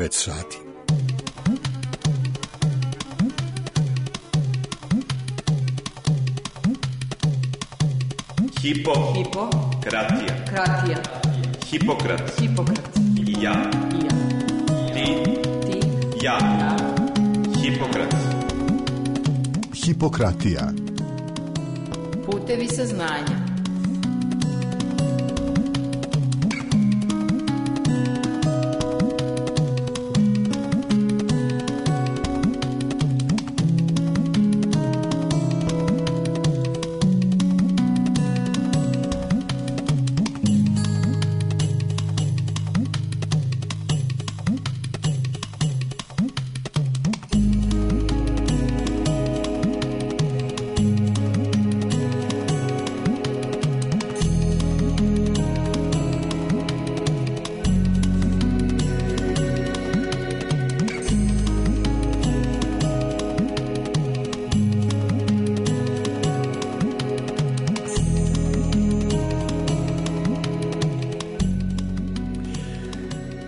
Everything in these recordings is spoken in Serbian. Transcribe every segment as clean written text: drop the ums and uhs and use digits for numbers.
9 sati. Hipokratija. Hipokrat. Ja. Ti. Ja. Hipokrat. Hipokratija. Putevi saznanja.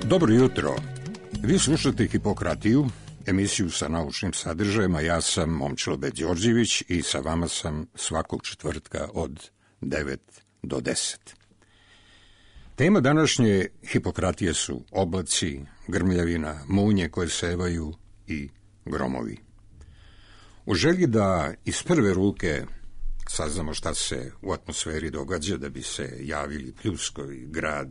Dobro jutro. Vi slušate Hipokratiju, emisiju sa naučnim sadržajima. Ja sam Momčilo B. Đorđević i sa vama sam svakog četvrtka od 9 do 10. Tema današnje Hipokratije su oblaci, grmljavina, munje koje sevaju i gromovi. U želji da iz prve ruke saznamo šta se u atmosferi događa, da bi se javili pljuskovi, grad,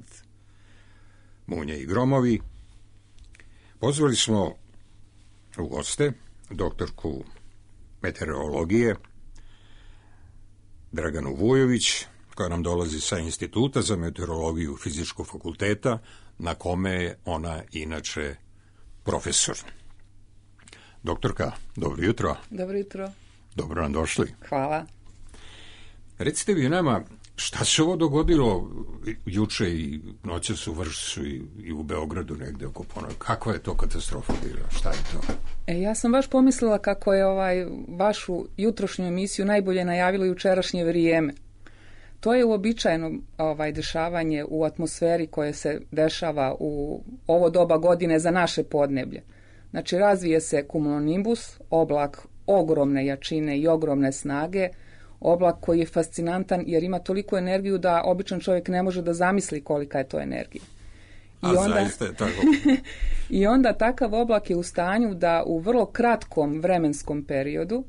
munje i gromovi, pozvali smo u goste doktorku meteorologije Draganu Vujović, koja nam dolazi sa Instituta za meteorologiju Fizičkog fakulteta, na kome je ona inače profesor. Doktorka, dobro jutro. Dobro jutro. Dobro nam došli. Hvala. Recite vi nama, šta se ovo dogodilo juče i noćas u Vršcu i u Beogradu negde oko ponoć? Kakva je to katastrofa bila? Šta je to? Ja sam baš pomislila kako je vašu jutrošnju emisiju najbolje najavilo jučerašnje vrijeme. To je uobičajeno dešavanje u atmosferi koje se dešava u ovo doba godine za naše podneblje. Znači, razvije se cumulonimbus, oblak ogromne jačine i ogromne snage, oblak koji je fascinantan jer ima toliku energiju da običan čovjek ne može da zamisli kolika je to energija. Zaista je tako. I onda takav oblak je u stanju da u vrlo kratkom vremenskom periodu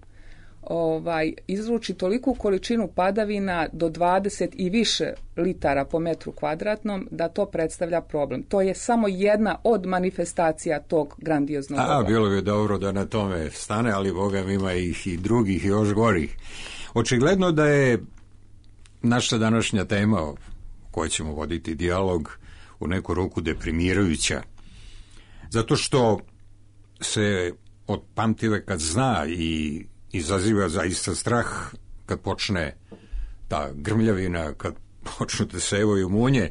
izluči toliku količinu padavina do 20 i više litara po metru kvadratnom da to predstavlja problem. To je samo jedna od manifestacija tog grandioznog oblaka. Bilo bi dobro da na tome stane, ali Boga mi ima ih i drugih i još gorih. Očigledno da je naša današnja tema o kojoj ćemo voditi dijalog u neku ruku deprimirajuća, zato što se od pamtiveka zna i izaziva zaista strah kad počne ta grmljavina, kad počnu te sevaju munje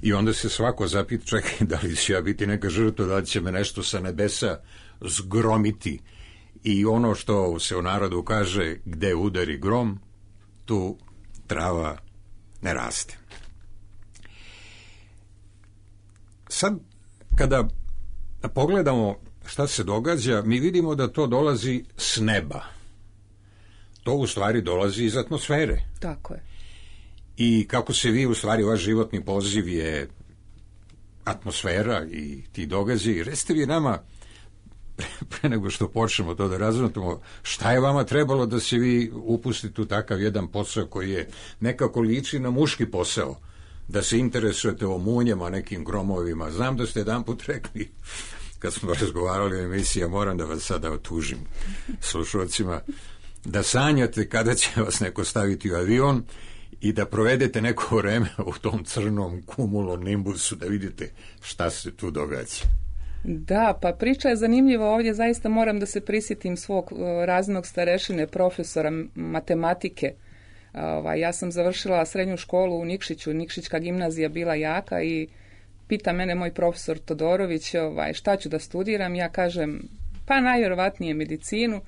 i onda se svako zapita, čekaj, da li će ja biti neka žrtva, da li će me nešto sa nebesa zgromiti. I ono što se u narodu kaže, gde udari grom, tu trava ne raste. Sad, kada pogledamo šta se događa, mi vidimo da to dolazi s neba. To u stvari dolazi iz atmosfere. Tako je. I kako se vi, u stvari, vaš životni poziv je atmosfera i ti događaji. Recite vi nama, pre nego što počnemo to da razvrtamo, šta je vama trebalo da se vi upustite u takav jedan posao koji je nekako liči na muški posao, da se interesujete o munjama, nekim gromovima. Znam da ste jedanput rekli, kad smo razgovarali o emisiji, moram da vas sada otužim slušalcima, da sanjate kada će vas neko staviti u avion i da provedete neko vreme u tom crnom cumulonimbusu, da vidite šta se tu događa. Da, pa priča je zanimljiva ovdje, zaista moram da se prisjetim svog razrednog starešine, profesora matematike. Ja sam završila srednju školu u Nikšiću, Nikšićka gimnazija bila jaka i pita mene moj profesor Todorović šta ću da studiram, ja kažem pa najvjerovatnije medicinu.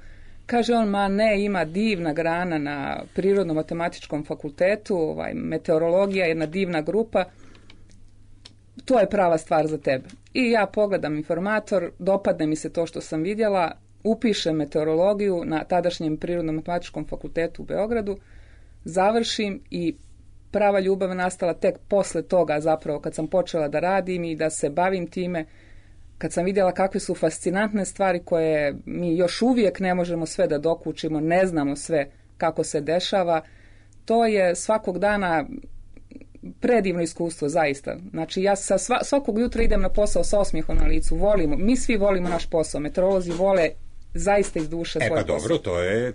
Kaže on, ma ne, ima divna grana na Prirodno-matematičkom fakultetu, meteorologija je jedna divna grupa. to je prava stvar za tebe. I ja pogledam informator, dopadne mi se to što sam vidjela, upišem meteorologiju na tadašnjem Prirodno-matematičkom fakultetu u Beogradu, završim i prava ljubav nastala tek posle toga zapravo kad sam počela da radim i da se bavim time, kad sam vidjela kakve su fascinantne stvari koje mi još uvijek ne možemo sve da dokučimo, ne znamo sve kako se dešava. To je svakog dana predivno iskustvo, zaista. Znači, ja svakog jutra idem na posao sa osmijehom na licu. Volimo, mi svi volimo naš posao. Meteorolozi vole zaista iz duše svoj posao. Dobro,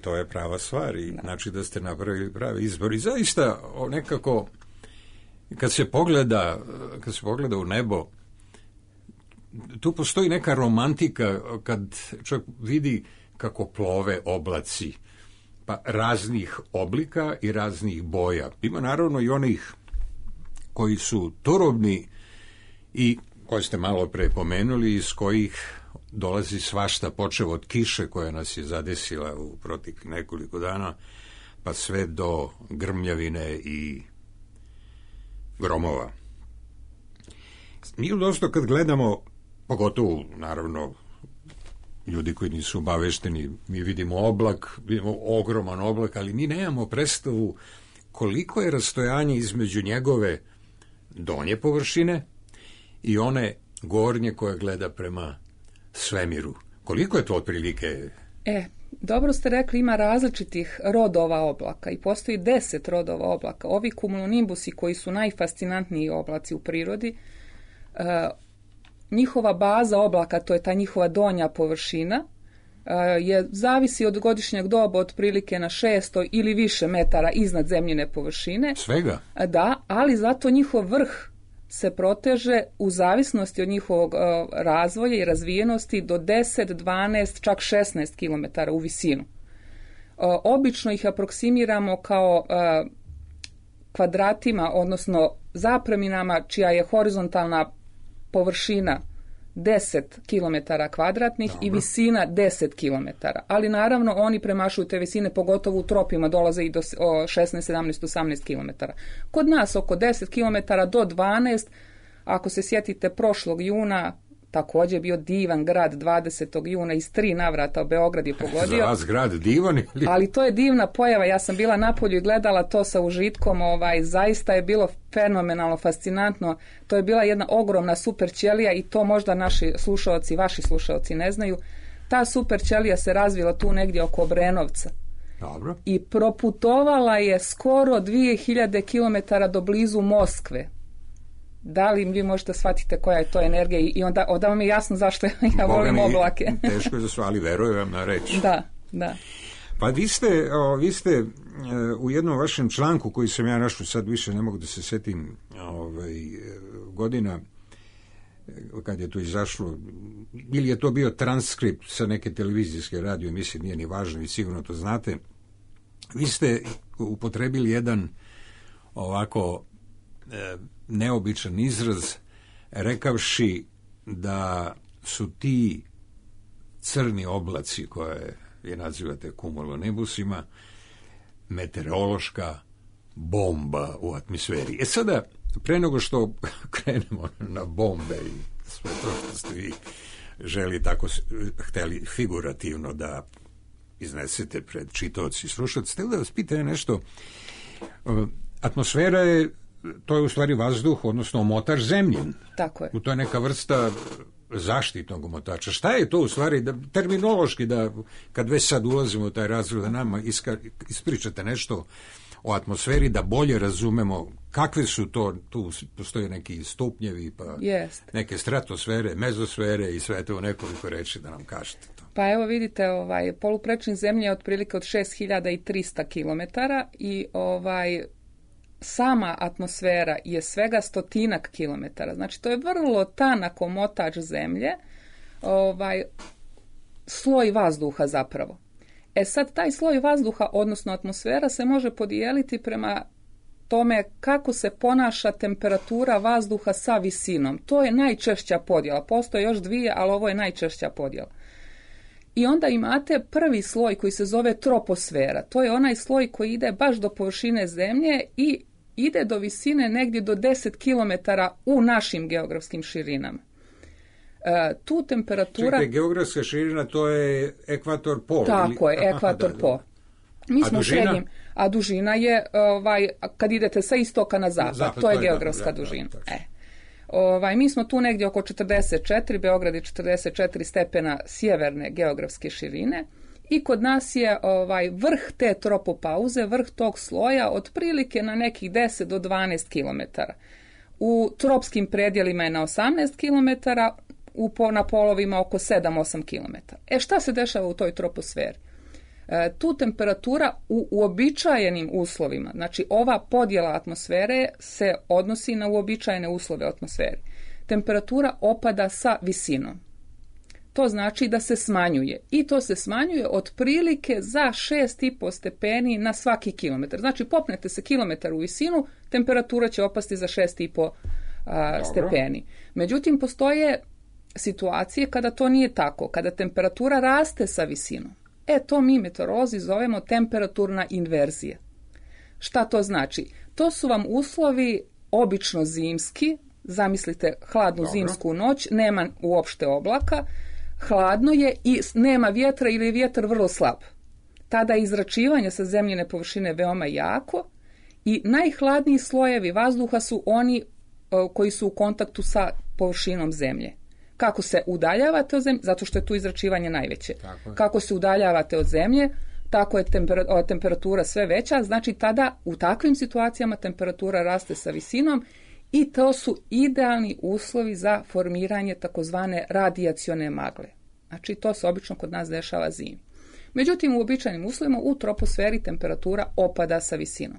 to je prava stvar. I, znači da ste napravili pravi izbor. I zaista nekako, kad se pogleda u nebo, tu postoji neka romantika kad čovjek vidi kako plove oblaci, pa raznih oblika i raznih boja. Ima naravno i onih koji su turobni i koje ste malo pre pomenuli, iz kojih dolazi svašta, počev od kiše koja nas je zadesila u proteklih nekoliko dana, pa sve do grmljavine i gromova. Mi dosta kad gledamo, pogotovo naravno ljudi koji nisu obavešteni, mi vidimo oblak, vidimo ogroman oblak, ali mi nemamo predstavu koliko je rastojanje između njegove donje površine i one gornje koja gleda prema svemiru. Koliko je to otprilike? Dobro ste rekli, ima različitih rodova oblaka i postoji 10 rodova oblaka. Ovi cumulonimbusi koji su najfascinantniji oblaci u prirodi, njihova baza oblaka, to je ta njihova donja površina, zavisi od godišnjeg doba otprilike na 600 ili više metara iznad zemljine površine. Svega? Da, ali zato njihov vrh se proteže u zavisnosti od njihovog razvoja i razvijenosti do 10, 12, čak 16 km u visinu. Obično ih aproksimiramo kao kvadratima, odnosno zapreminama čija je horizontalna površina 10 km kvadratnih i visina 10 km. Ali naravno oni premašuju te visine, pogotovo u tropima dolaze i do 16, 17, 18 km. Kod nas oko 10 km do 12, ako se sjetite prošlog juna, također je bio divan grad 20. juna, iz 3 navrata Beograd je pogodio. Za vas grad divan ili? Ali to je divna pojava, ja sam bila napolju i gledala to sa užitkom, zaista je bilo fenomenalno, fascinantno. To je bila jedna ogromna super ćelija i to možda naši slušaoci, vaši slušaoci ne znaju. Ta super ćelija se razvila tu negdje oko Obrenovca. Dobro. I proputovala je skoro 2000 km do blizu Moskve. Da li vi možete shvatiti koja je to energija i onda vam je jasno zašto ja volim oblake. Teško je za sve, ali verujem vam na reč. Da. Pa vi ste u jednom vašem članku koji sam ja našao, sad više ne mogu da se setim godina kad je to izašlo, ili je to bio transkript sa neke televizijske radio emisije, nije ni važno i sigurno to znate. Vi ste upotrebili jedan ovako neobičan izraz, rekavši da su ti crni oblaci koje vi nazivate cumulonimbusima meteorološka bomba u atmosferi. Sada, pre nego što krenemo na bombe i sve to što ste vi hteli figurativno da iznesete pred čitaoci i slušalci, hteli da vas pitam nešto. Atmosfera je, to je u stvari vazduh, odnosno omotač zemljin. Tako je. To je neka vrsta zaštitnog omotača. Šta je to u stvari, terminološki, da kad već sad ulazimo u taj razred, da nama ispričate nešto o atmosferi, da bolje razumemo kakve su to, tu postoje neki stupnjevi, pa neke stratosfere, mezosfere i sve to nekoliko reči da nam kažete to. Pa evo vidite, poluprečnik zemlje je otprilike od 6300 km i sama atmosfera je svega 100 kilometara. Znači, to je vrlo tanak omotač zemlje, sloj vazduha zapravo. Sad, taj sloj vazduha, odnosno atmosfera, se može podijeliti prema tome kako se ponaša temperatura vazduha sa visinom. To je najčešća podjela. Postoje još dvije, ali ovo je najčešća podjela. I onda imate prvi sloj koji se zove troposfera. To je onaj sloj koji ide baš do površine zemlje i ide do visine negdje do 10 km u našim geografskim širinama. Tu temperatura... Čekaj, geografska širina, to je ekvator pol. Tako je, ekvator pol. Mi smo dužina? srednjim, a dužina je, kad idete sa istoka na zapad, to je geografska dužina. Mi smo tu negdje oko 44, Beograd je 44 stepena sjeverne geografske širine i kod nas je vrh te tropopauze, vrh tog sloja otprilike na nekih 10 do 12 km. U tropskim predjelima je na 18 km, na polovima oko 7-8 km. Šta se dešava u toj troposferi? Tu temperatura u uobičajenim uslovima, znači ova podjela atmosfere se odnosi na uobičajene uslove atmosfere. Temperatura opada sa visinom. To znači da se smanjuje i to se smanjuje otprilike za 6,5 stepeni na svaki kilometar. Znači popnete se kilometar u visinu, temperatura će opasti za 6,5 stepeni. Međutim, postoje situacije kada to nije tako, kada temperatura raste sa visinom. To mi meteorolozi zovemo temperaturna inverzija. Šta to znači? To su vam uslovi obično zimski, zamislite hladnu zimsku noć, nema uopšte oblaka, hladno je i nema vjetra ili je vjetar vrlo slab. Tada je izračivanje sa zemljine površine veoma jako i najhladniji slojevi vazduha su oni koji su u kontaktu sa površinom zemlje. Kako se udaljavate od zemlje, zato što je tu izračivanje najveće. Kako se udaljavate od zemlje, tako je temperatura sve veća, znači tada u takvim situacijama temperatura raste sa visinom i to su idealni uslovi za formiranje takozvane radijacione magle. Znači to se obično kod nas dešava zimi. Međutim, u uobičajenim uslovima u troposferi temperatura opada sa visinom.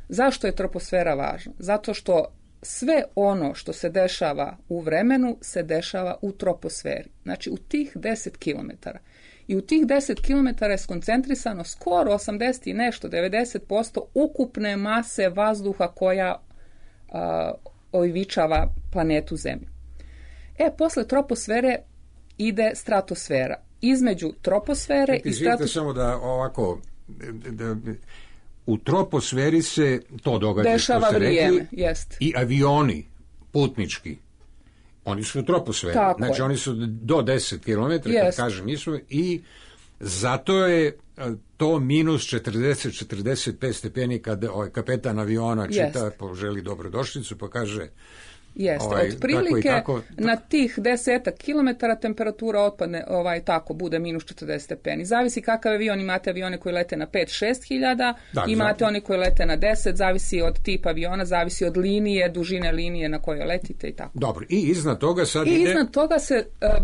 Zašto je troposfera važna? Zato što sve ono što se dešava u vremenu se dešava u troposferi. Znači u tih 10 km. I u tih 10 km je skoncentrisano skoro 80 i nešto, 90% ukupne mase vazduha koja oivičava planetu Zemlju. Posle troposfere ide stratosfera. Između troposfere i stratosfere... samo da ovako... U troposferi se to događa, dešava vrijeme, jest. I avioni putnički, oni su u troposferi, znači oni su do 10 km, kad kažem, nisu, i zato je to minus 40-45 stepeni kad kapetan aviona čita, poželi dobrodošlicu, pa kaže... Jeste, otprilike na tih 10 kilometara temperatura otpadne, bude minus 40 stepeni. Zavisi kakav avion, imate avione koji lete na 5-6 hiljada, imate oni koji lete na 10, zavisi od tipa aviona, zavisi od linije, dužine linije na kojoj letite i tako. Dobro, i iznad toga sad ide... iznad toga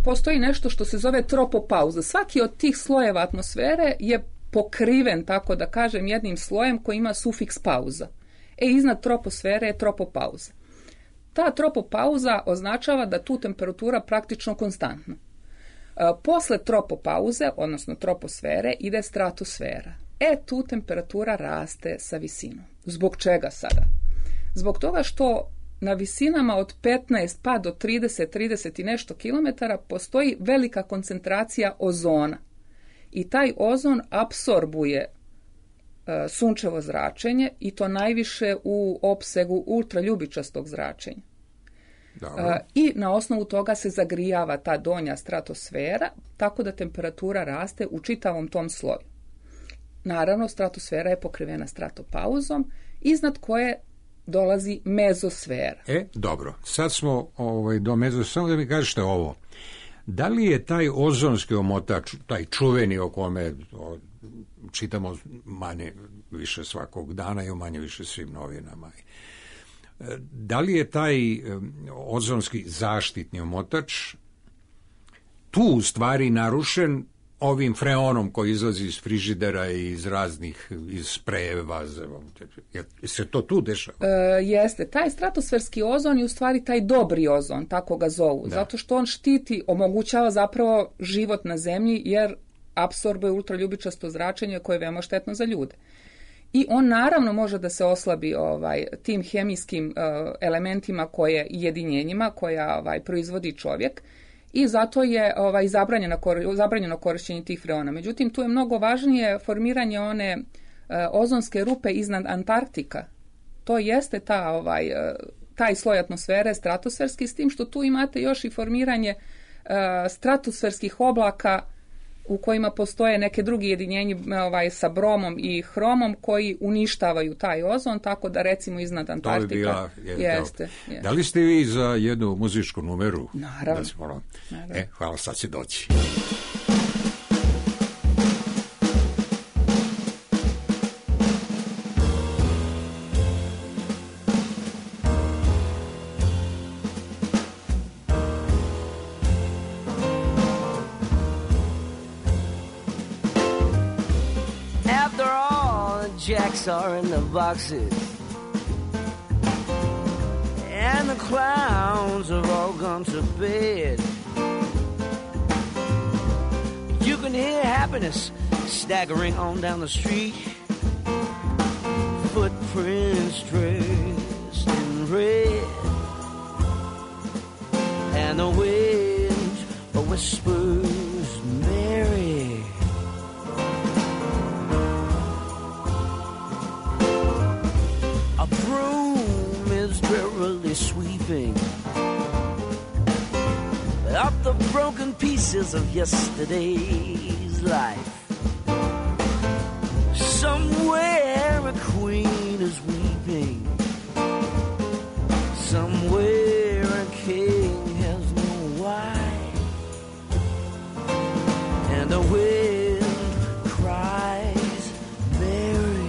postoji nešto što se zove tropopauza. Svaki od tih slojeva atmosfere je pokriven, tako da kažem, jednim slojem koji ima sufiks pauza. Iznad troposfere je tropopauza. Ta tropopauza označava da tu temperatura praktično konstantna. Posle tropopauze, odnosno troposfere, ide stratosfera. Tu temperatura raste sa visinom. Zbog čega sada? Zbog toga što na visinama od 15 pa do 30 i nešto kilometara postoji velika koncentracija ozona. I taj ozon apsorbuje sunčevo zračenje i to najviše u opsegu ultraljubičastog zračenja. I na osnovu toga se zagrijava ta donja stratosfera, tako da temperatura raste u čitavom tom sloju. Naravno, stratosfera je pokrivena stratopauzom, iznad koje dolazi mezosfera. Dobro, sad smo do mezosfere, samo da mi kažete ovo. Da li je taj ozonski omotač, taj čuveni o kome čitamo manje više svakog dana i u manje više svim novinama, da li je taj ozonski zaštitni omotač tu u stvari narušen ovim freonom koji izlazi iz frižidera i iz raznih, iz sprejeva, se to tu dešava? Jeste, taj stratosferski ozon je u stvari taj dobri ozon, tako ga zovu, zato što on štiti, omogućava zapravo život na zemlji jer apsorbuje ultraljubičasto zračenje koje je veoma štetno za ljude. I on naravno može da se oslabi tim hemijskim elementima i jedinjenjima koja proizvodi čovjek i zato je zabranjeno korištenje tih freona. Međutim, tu je mnogo važnije formiranje one ozonske rupe iznad Antarktika. to jeste taj sloj atmosfere stratosferski, s tim što tu imate još i formiranje stratosferskih oblaka u kojima postoje neke drugi jedinjenji sa bromom i hromom koji uništavaju taj ozon, tako da recimo iznad Antarktika jeste. Da li ste vi za jednu muzičku numeru? Naravno. Hvala, sad će doći. Jacks are in the boxes, and the clowns have all gone to bed. You can hear happiness staggering on down the street, footprints dressed in red, and the wind whispers Mary. Broom is drearily sweeping up the broken pieces of yesterday's life. Somewhere a queen is weeping, somewhere a king has no wife, and the wind cries Mary.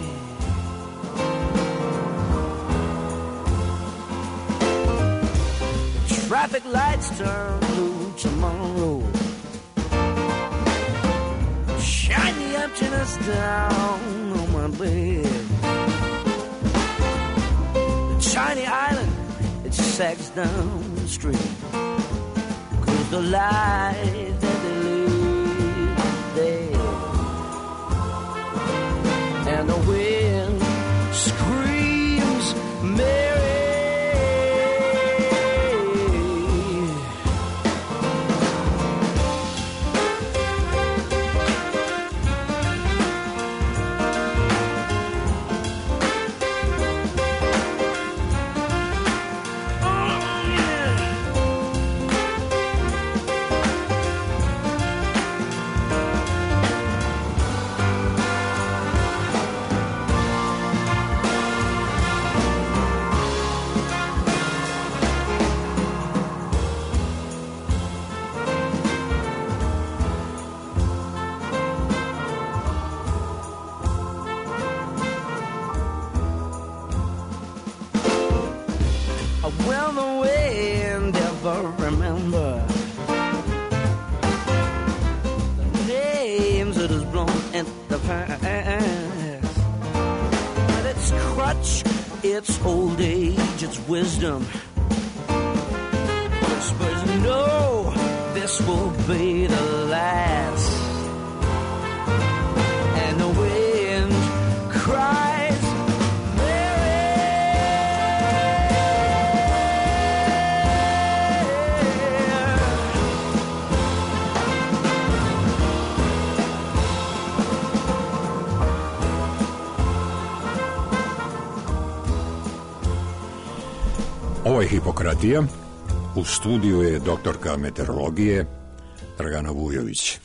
Traffic lights turn blue tomorrow. Shine the emptiness down on my bed. The tiny island, it sags down the street, 'cause the life that they live there. And the wind screams Mary. Will the wind ever remember the names it has blown in the past? With its crutch, its old age, its wisdom whispers, no, this will be the last. And the wind cries Ovo je Hipokratija. U studiju je doktorka meteorologije Dragana Vujović.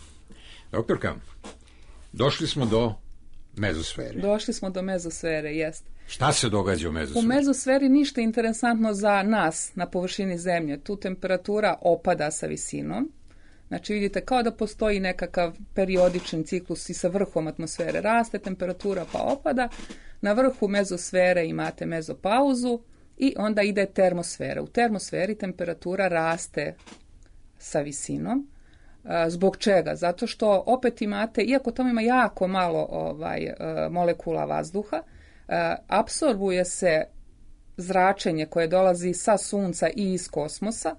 Doktorka, došli smo do mezosfere. Došli smo do mezosfere, jest. Šta se događa u mezosferi? U mezosferi ništa interesantno za nas na površini Zemlje. Tu temperatura opada sa visinom. Znači vidite kao da postoji nekakav periodičan ciklus i sa vrhom atmosfere. Raste temperatura pa opada. Na vrhu mezosfere imate mezopauzu. I onda ide termosfera. U termosferi temperatura raste sa visinom. Zbog čega? Zato što opet imate, iako tamo ima jako malo molekula vazduha, apsorbuje se zračenje koje dolazi sa sunca i iz kosmosa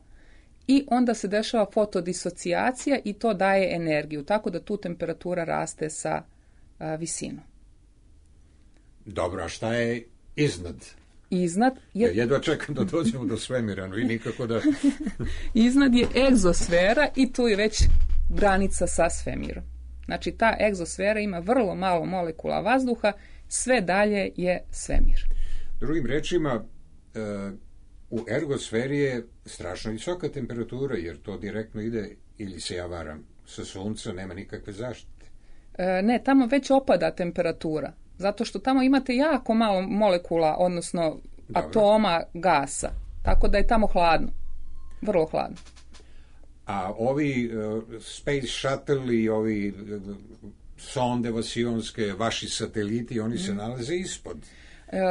i onda se dešava fotodisocijacija i to daje energiju. Tako da tu temperatura raste sa visinom. Dobro, a šta je iznad? Jedva čekam da dođemo do svemira, i nikako da... Iznad je egzosfera i tu je već granica sa svemirom. Znači ta egzosfera ima vrlo malo molekula vazduha, sve dalje je svemir. Drugim rečima, u ergosferi je strašno visoka temperatura, jer to direktno ide, ili se ja varam, sa sunca nema nikakve zaštite. Ne, tamo već opada temperatura, zato što tamo imate jako malo molekula, odnosno atoma gasa, tako da je tamo hladno, vrlo hladno. A ovi Space Shuttle i ovi sonde vasionske, vaši sateliti, oni se nalaze ispod?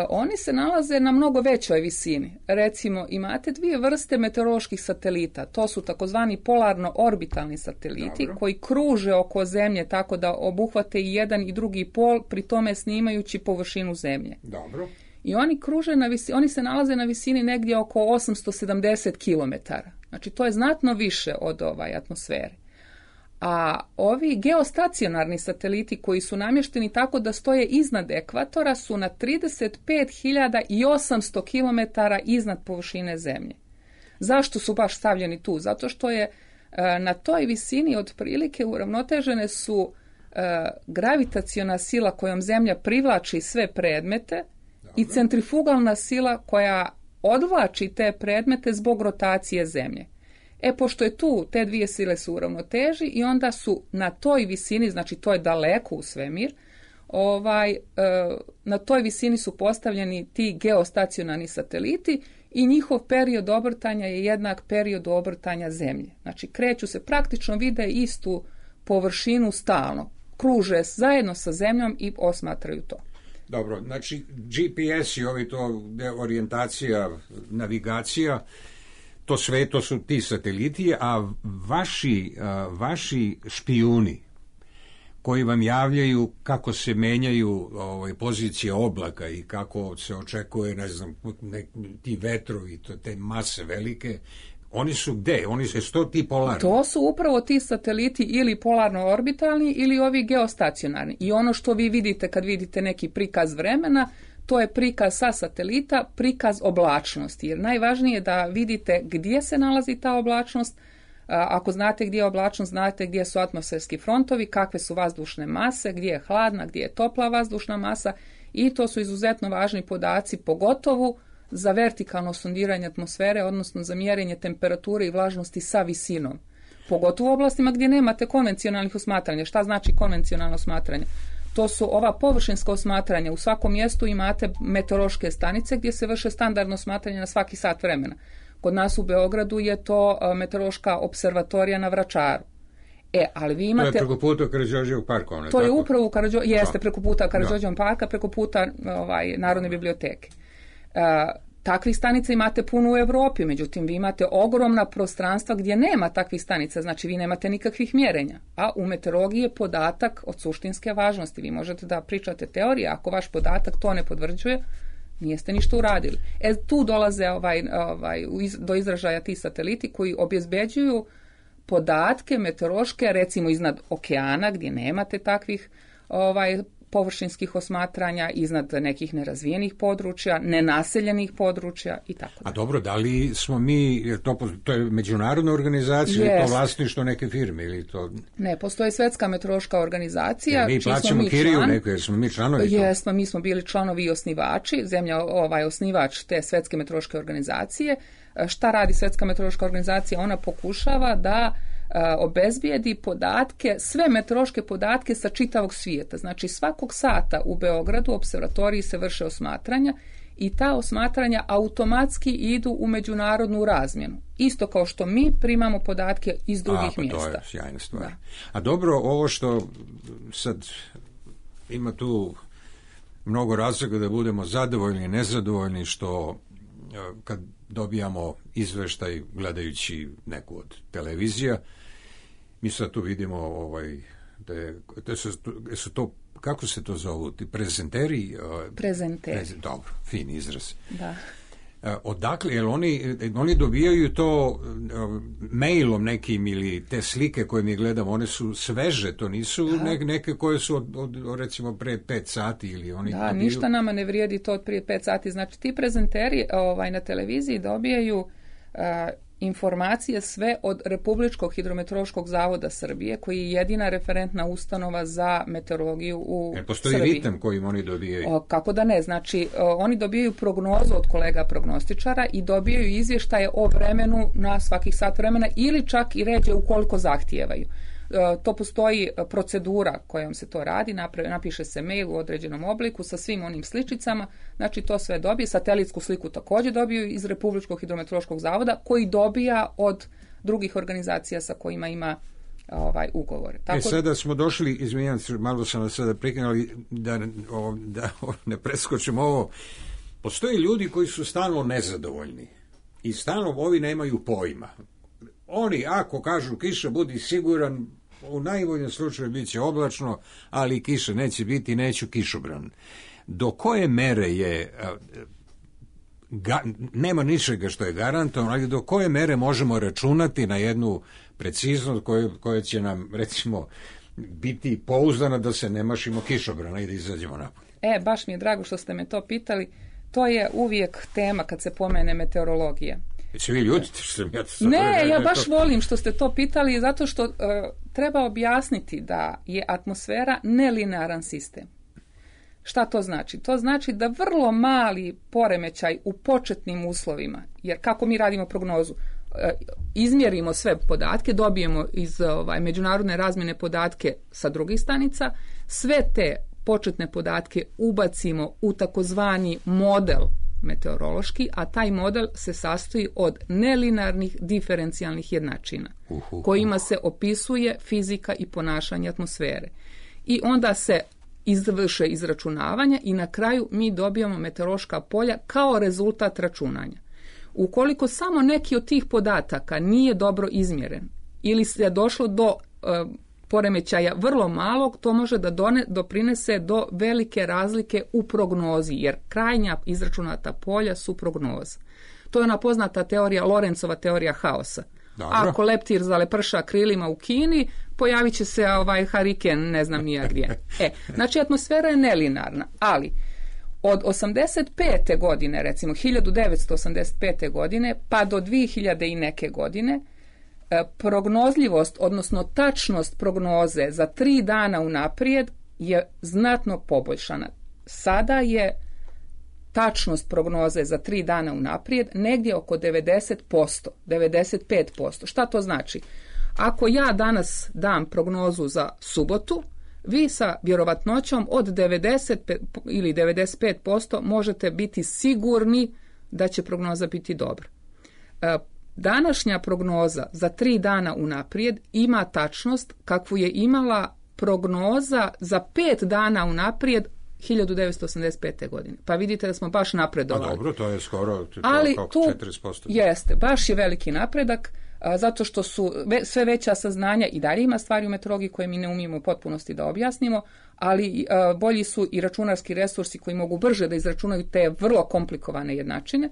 Oni se nalaze na mnogo većoj visini. Recimo, imate dvije vrste meteoroloških satelita. To su takozvani polarno-orbitalni sateliti. Dobro. Koji kruže oko Zemlje tako da obuhvate i jedan i drugi pol, pri tome snimajući površinu Zemlje. Dobro. I oni se nalaze na visini negdje oko 870 km. Znači, to je znatno više od atmosfere. A ovi geostacionarni sateliti koji su namješteni tako da stoje iznad ekvatora su na 35.800 km iznad površine Zemlje. Zašto su baš stavljeni tu? Zato što je na toj visini otprilike uravnotežene su gravitaciona sila kojom Zemlja privlači sve predmete. Dobro. I centrifugalna sila koja odvlači te predmete zbog rotacije Zemlje. Pošto je tu, te dvije sile su u ravnoteži i onda su na toj visini, znači to je daleko u svemir, na toj visini su postavljeni ti geostacionarni sateliti i njihov period obrtanja je jednak periodu obrtanja Zemlje. Znači kreću se, praktično vide istu površinu stalno, kruže zajedno sa Zemljom i osmatraju to. Dobro, znači GPS i orijentacija, navigacija, to sve, to su ti sateliti, a vaši špijuni koji vam javljaju kako se menjaju pozicije oblaka i kako se očekuje, ne znam, ti vetrovi, te mase velike, oni su gde? Oni su to ti polarni? To su upravo ti sateliti ili polarno-orbitalni ili ovi geostacionarni. I ono što vi vidite kad vidite neki prikaz vremena, to je prikaz sa satelita, prikaz oblačnosti. Jer najvažnije je da vidite gdje se nalazi ta oblačnost. Ako znate gdje je oblačnost, znate gdje su atmosferski frontovi, kakve su vazdušne mase, gdje je hladna, gdje je topla vazdušna masa. I to su izuzetno važni podaci, pogotovo za vertikalno sondiranje atmosfere, odnosno za mjerenje temperature i vlažnosti sa visinom. Pogotovo u oblastima gdje nemate konvencionalnih osmatranja. Šta znači konvencionalno osmatranje? To su ova površinska osmatranja. U svakom mjestu imate meteorološke stanice gdje se vrše standardno osmatranje na svaki sat vremena. Kod nas u Beogradu je to meteorološka observatorija na Vračaru. Ali vi imate... To je preko puta Karađorđevog parka. To je upravo jeste preko puta Karađorđevog parka, preko puta Narodne biblioteke. Takvih stanica imate puno u Europi, međutim vi imate ogromna prostranstva gdje nema takvih stanica, znači vi nemate nikakvih mjerenja. A u meteorologiji je podatak od suštinske važnosti. Vi možete da pričate teorije, ako vaš podatak to ne potvrđuje, nijeste ništa uradili. Tu dolaze do izražaja ti sateliti koji obezbeđuju podatke meteorološke, recimo iznad okeana gdje nemate takvih površinskih osmatranja, iznad nekih nerazvijenih područja, nenaseljenih područja i tako da. A dobro, da li smo mi, to je međunarodna organizacija ili to vlasništvo neke firme? Ili to... Ne, postoji Svetska meteorološka organizacija. Jer mi plaćamo kiriju neku, jer smo mi članovi. Jesmo, mi smo bili članovi i osnivači, Zemlja osnivač te Svetske meteorološke organizacije. Šta radi Svetska meteorološka organizacija? Ona pokušava da obezbijedi podatke, sve meteorološke podatke sa čitavog svijeta. Znači svakog sata u Beogradu u observatoriji se vrše osmatranja i ta osmatranja automatski idu u međunarodnu razmjenu. Isto kao što mi primamo podatke iz drugih mjesta. To je sjajna stvar. Da. A dobro, ovo što sad ima tu mnogo razloga da budemo zadovoljni i nezadovoljni, što kad dobijamo izveštaj gledajući neku od televizija, mi sad tu vidimo da su to, kako se to zovu, ti prezenteri? Dobro, fin izraz. Da. Odakle, jer oni dobijaju to mailom nekim ili te slike koje mi gledamo, one su sveže, to nisu neke koje su od recimo pre 5 sati ili oni da, dobiju... ništa nama ne vrijedi to od prije 5 sati. Znači ti prezenteri na televiziji dobijaju informacije sve od Republičkog hidrometeorološkog zavoda Srbije, koji je jedina referentna ustanova za meteorologiju u Srbiji. Postoji ritam kojim oni dobijaju? Kako da ne, znači oni dobijaju prognozu od kolega prognostičara i dobijaju izvještaje o vremenu na svakih sat vremena ili čak i ređe ukoliko zahtijevaju. To postoji procedura kojom se to radi, napiše se mail u određenom obliku sa svim onim sličicama, znači to sve dobije, satelitsku sliku također dobiju iz Republičkog hidrometeorološkog zavoda, koji dobija od drugih organizacija sa kojima ima ugovore. Tako... sada smo došli, izvinjam se, malo sam vas sada prekinuli da ne preskočimo ovo. Postoje ljudi koji su stalno nezadovoljni i stalno ovi nemaju pojma. Oni, ako kažu kiša, budi siguran, u najboljem slučaju bit će oblačno, ali kiša neće biti, neću kišobran. Do koje mere je, nema ničega što je garantovano, ali do koje mere možemo računati na jednu preciznost koja će nam, recimo, biti pouzdana da se ne mašimo kišobrana i da izađemo napolje? Baš mi je drago što ste me to pitali. To je uvijek tema kad se pomene meteorologija. Jesi vi ljutite što sam ja to... Ne, ja baš volim što ste to pitali, zato što treba objasniti da je atmosfera nelinearan sistem. Šta to znači? To znači da vrlo mali poremećaj u početnim uslovima, jer kako mi radimo prognozu, izmjerimo sve podatke, dobijemo iz međunarodne razmjene podatke sa drugih stanica, sve te početne podatke ubacimo u takozvani model meteorološki, a taj model se sastoji od nelinearnih diferencijalnih jednačina kojima se opisuje fizika i ponašanje atmosfere. I onda se izvrše izračunavanja i na kraju mi dobijamo meteorološka polja kao rezultat računanja. Ukoliko samo neki od tih podataka nije dobro izmjeren ili se došlo do poremećaja vrlo malog, to može da doprinese do velike razlike u prognozi, jer krajnja izračunata polja su prognoza. To je ona poznata teorija, Lorencova teorija haosa. Dobro. Ako leptir zaleprša krilima u Kini, pojavit će se hariken, ne znam nija gdje. Znači, atmosfera je nelinarna, ali od 85. godine, recimo 1985. godine, pa do 2000 i neke godine, prognozljivost, odnosno tačnost prognoze za 3 dana unaprijed je znatno poboljšana. Sada je tačnost prognoze za 3 dana unaprijed negdje oko 90%, 95%. Šta to znači? Ako ja danas dam prognozu za subotu, vi sa vjerovatnoćom od 90 ili 95% možete biti sigurni da će prognoza biti dobra. Današnja prognoza za 3 dana unaprijed ima tačnost kakvu je imala prognoza za 5 dana unaprijed 1985. godine. Pa vidite da smo baš napredovali. A dobro, to je skoro ali oko tu 40%. Jeste, baš je veliki napredak, zato što su sve veća saznanja i dalje ima stvari u meteorologiji koje mi ne umijemo u potpunosti da objasnimo, ali bolji su i računarski resursi koji mogu brže da izračunaju te vrlo komplikovane jednačine.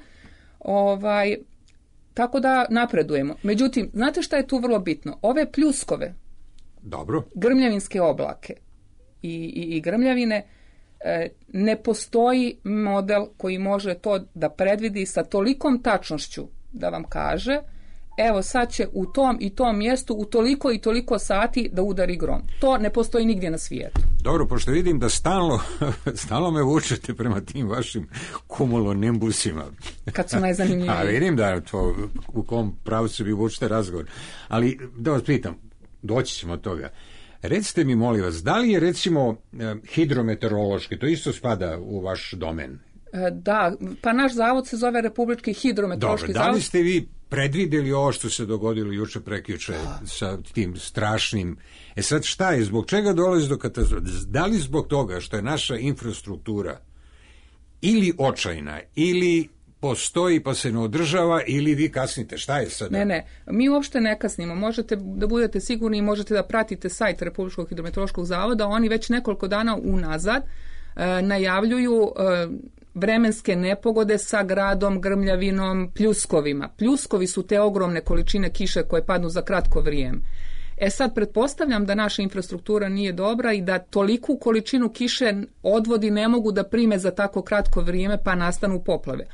Tako da napredujemo. Međutim, znate šta je tu vrlo bitno? Ove pljuskove, dobro, grmljavinske oblake i grmljavine, ne postoji model koji može to da predvidi sa tolikom tačnošću da vam kaže evo sad će u tom i tom mjestu u toliko i toliko sati da udari grom. To ne postoji nigdje na svijetu. Dobro, pošto vidim da stalno me vučete prema tim vašim kumulonimbusima. Kad su najzanimljiviji. A vidim da to u kom pravcu vi vučete razgovor. Ali da vas pitam, doći ćemo od toga. Recite mi, molim vas, da li je recimo hidrometeorološki, to isto spada u vaš domen? Da, pa naš zavod se zove Republički hidrometeorološki zavod. Da li ste vi predvidjeli ovo što se dogodilo juče prekjuče sa tim strašnim... Sad šta je, zbog čega dolazi do katastrofe? Da li zbog toga što je naša infrastruktura ili očajna, ili postoji pa se ne održava, ili vi kasnite? Šta je sada? Ne, mi uopšte ne kasnimo. Možete da budete sigurni i možete da pratite sajt Republičkog hidrometeorološkog zavoda. Oni već nekoliko dana unazad najavljuju vremenske nepogode sa gradom, grmljavinom, pljuskovima. Pljuskovi su te ogromne količine kiše koje padnu za kratko vrijeme. Sad pretpostavljam da naša infrastruktura nije dobra i da toliku količinu kiše odvodi ne mogu da prime za tako kratko vrijeme pa nastanu poplave.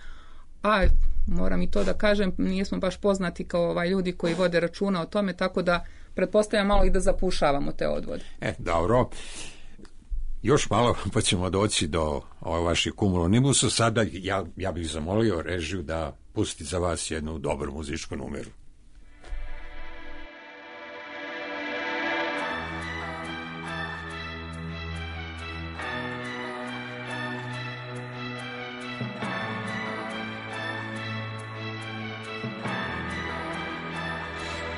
A Moram i to da kažem, nismo baš poznati kao ljudi koji vode računa o tome, tako da pretpostavljam malo i da zapušavamo te odvode. Dobro. Još malo pa ćemo doći do vaših cumulonimusa. Sada ja bih zamolio režiju da pusti za vas jednu dobru muzičku numeru.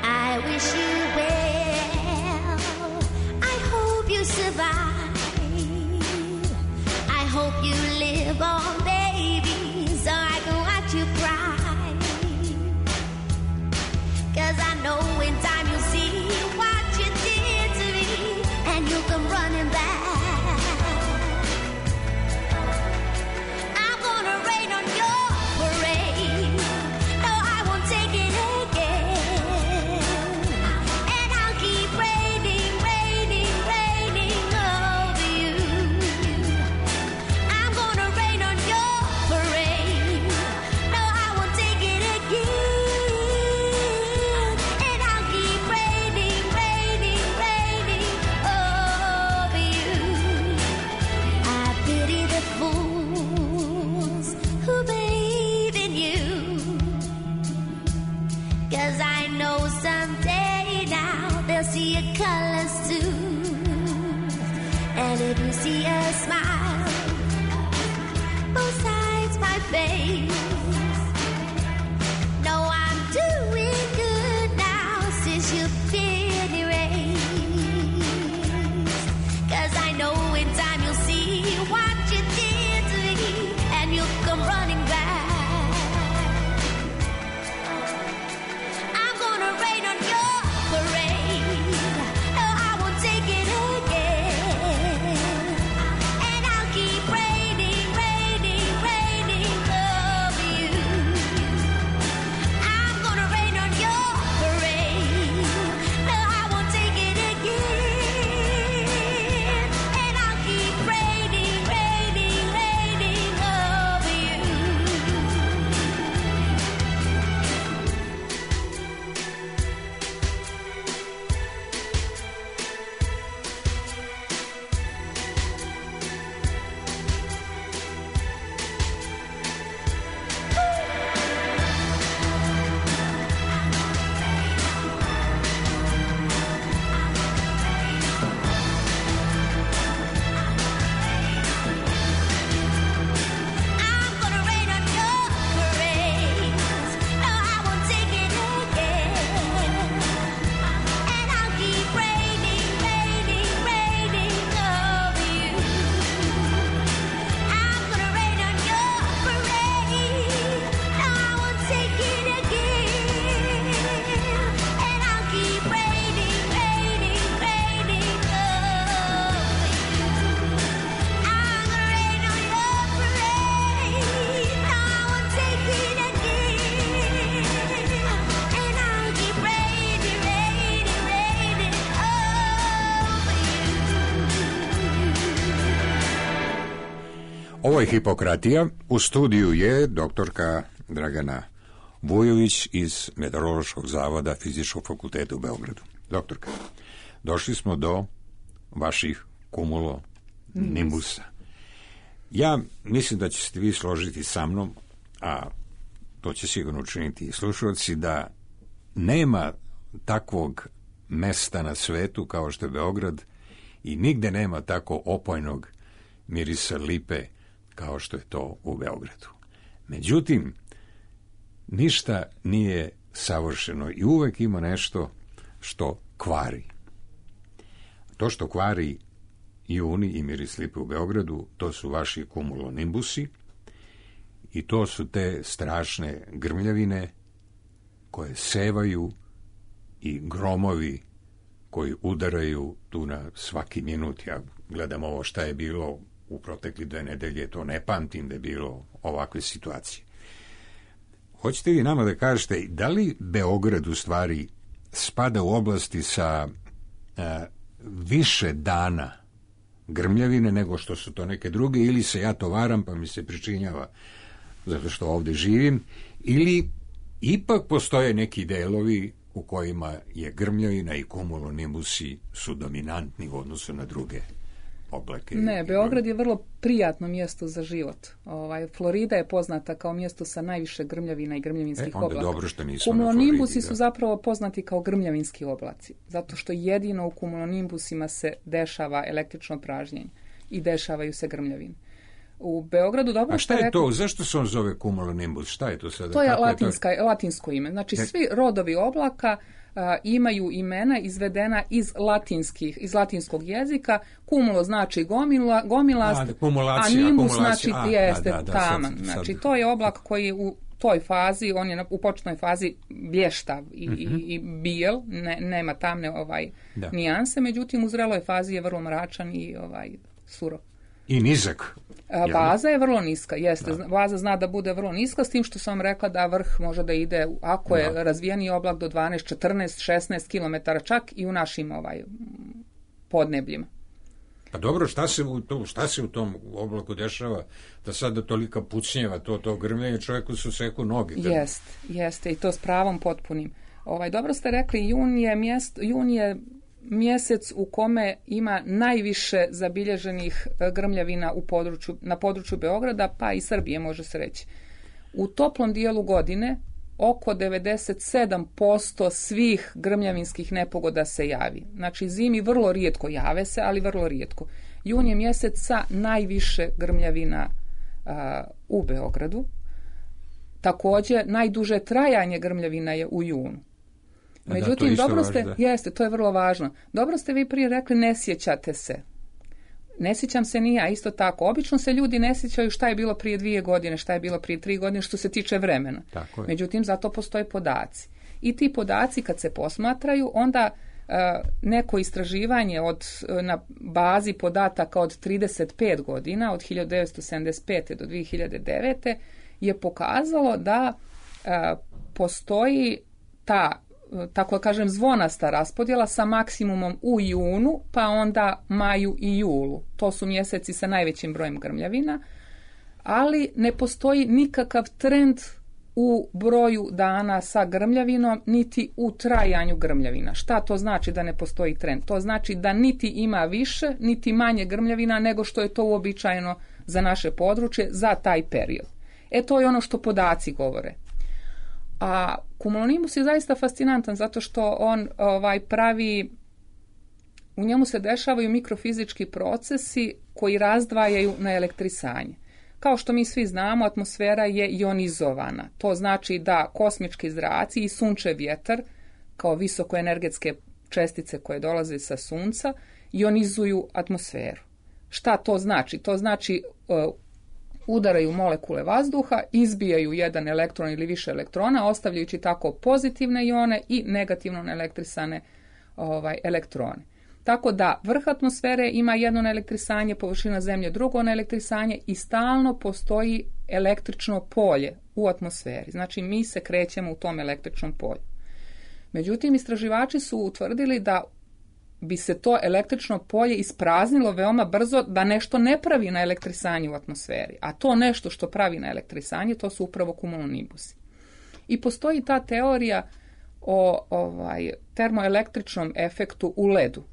I wish you well. I hope you survive. I hope you live on, baby, so I can watch you cry. 'Cause I know in time you'll see what you did to me, and you'll come running back. I'm gonna rain on your parade. No, I won't take it again. And I'll keep raining, raining, raining over you. I'm gonna rain on your parade. No, I won't take it again. And I'll keep raining, raining, raining over you. I pity the fools who believe in you. 'Cause I know someday now they'll see your colors too. And if you see a smile, both sides my face. No, I'm doing good now since you've been erased. 'Cause I know in time you'll see what you did to me, and you'll come running back. I'm gonna rain on your parade. No, I won't take it again. And I'll keep raining, raining, raining over you. I'm gonna rain on your parade. No, I won't take it again. And I'll keep raining, raining, raining over you. I'm gonna rain on your parade. No, I won't take it again. And I'll keep raining, raining, raining over you. I'm gonna rain on your parade. No, I won't take it again. And I'll keep raining, raining, raining over you. I'm gonna rain on your parade. No, I won't take it again. And I'll keep raining, raining, raining over you. Ovo je Hipokratija. U studiju je doktorka Dragana Vujović iz Meteorološkog zavoda Fizičkog fakulteta u Beogradu. Doktorka, došli smo do vaših cumulonimusa. Ja mislim da ćete vi složiti sa mnom, a to će sigurno učiniti i slušalci, da nema takvog mesta na svetu kao što je Beograd i nigde nema tako opojnog mirisa lipe kao što je to u Beogradu. Međutim, ništa nije savršeno i uvek ima nešto što kvari. To što kvari juni i miris lipe u Beogradu, to su vaši cumulonimbusi i to su te strašne grmljavine koje sevaju i gromovi koji udaraju tu na svaki minut. Ja gledam ovo šta je bilo u protekli 2 nedelje, to ne pamtim da je bilo ovakve situacije. Hoćete vi nama da kažete, da li Beograd u stvari spada u oblasti sa više dana grmljavine nego što su to neke druge, ili se ja to varam pa mi se pričinjava zato što ovdje živim, Ili ipak postoje neki delovi u kojima je grmljavina i kumulonimusi su dominantni u odnosu na druge oblake? Ne, Beograd je vrlo prijatno mjesto za život. Florida je poznata kao mjesto sa najviše grmljavina i grmljavinskih onda oblaka. dobro što nismo na Kumulonimbusi Floridi, su zapravo poznati kao grmljavinski oblaci, zato što jedino u kumulonimbusima se dešava električno pražnjenje i dešavaju se grmljavine. U Beogradu dobro A ste šta je rekli- to? Zašto se on zove kumulonimbus? Šta je to sada? To je Kako latinsko ime. Znači, svi rodovi oblaka imaju imena izvedena iz latinskog jezika. Kumulo znači gomilast, a nimbus znači jeste taman. Znači, to je oblak koji u toj fazi, on je u početnoj fazi blještav i bijel, nema tamne nijanse, međutim u zreloj fazi je vrlo mračan i surov. I nizak. Baza je vrlo niska, jeste. Baza zna da bude vrlo niska, s tim što sam rekla da vrh može da ide, ako je razvijeni oblak, do 12, 14, 16 km, čak i u našim podnebljima. Pa dobro, šta se u tom oblaku dešava da sada tolika pucnjeva, to grmljenje, čovjeku su seku noge? Jeste, i to s pravom potpunim. Dobro ste rekli, jun je mjesec u kome ima najviše zabilježenih grmljavina na području Beograda, pa i Srbije, može se reći. U toplom dijelu godine oko 97% svih grmljavinskih nepogoda se javi. Znači, zimi vrlo rijetko jave se, ali vrlo rijetko. Jun je mjesec sa najviše grmljavina u Beogradu. Također, najduže trajanje grmljavina je u junu. Međutim, to je vrlo važno. Dobro ste vi prije rekli, ne sjećate se. Ne sjećam se ni ja, isto tako. Obično se ljudi ne sjećaju šta je bilo prije 2 godine, šta je bilo prije 3 godine, što se tiče vremena. Međutim, zato postoje podaci. I ti podaci kad se posmatraju, onda neko istraživanje na bazi podataka od 35 godina, od 1975. do 2009. je pokazalo da postoji ta, tako kažem, zvonasta raspodjela sa maksimumom u junu, pa onda maju i julu. To su mjeseci sa najvećim brojem grmljavina, ali ne postoji nikakav trend u broju dana sa grmljavinom, niti u trajanju grmljavina. Šta to znači da ne postoji trend? To znači da niti ima više, niti manje grmljavina nego što je to uobičajeno za naše područje za taj period. To je ono što podaci govore. A kumulonimbus je zaista fascinantan zato što on pravi, u njemu se dešavaju mikrofizički procesi koji razdvajaju na elektrisanje. Kao što mi svi znamo, atmosfera je ionizovana. To znači da kosmički zraci i sunčev vjetar, kao visokoenergetske čestice koje dolaze sa sunca, ionizuju atmosferu. Šta to znači? To znači udaraju molekule vazduha, izbijaju jedan elektron ili više elektrona, ostavljajući tako pozitivne ione i negativno naelektrisane elektrone. Tako da vrh atmosfere ima jedno naelektrisanje, površina Zemlje drugo naelektrisanje i stalno postoji električno polje u atmosferi. Znači, mi se krećemo u tom električnom polju. Međutim, istraživači su utvrdili da bi se to električno polje ispraznilo veoma brzo da nešto ne pravi na elektrisanje u atmosferi. A to nešto što pravi na elektrisanje, to su upravo kumulonimbusi. I postoji ta teorija o termoelektričnom efektu u ledu.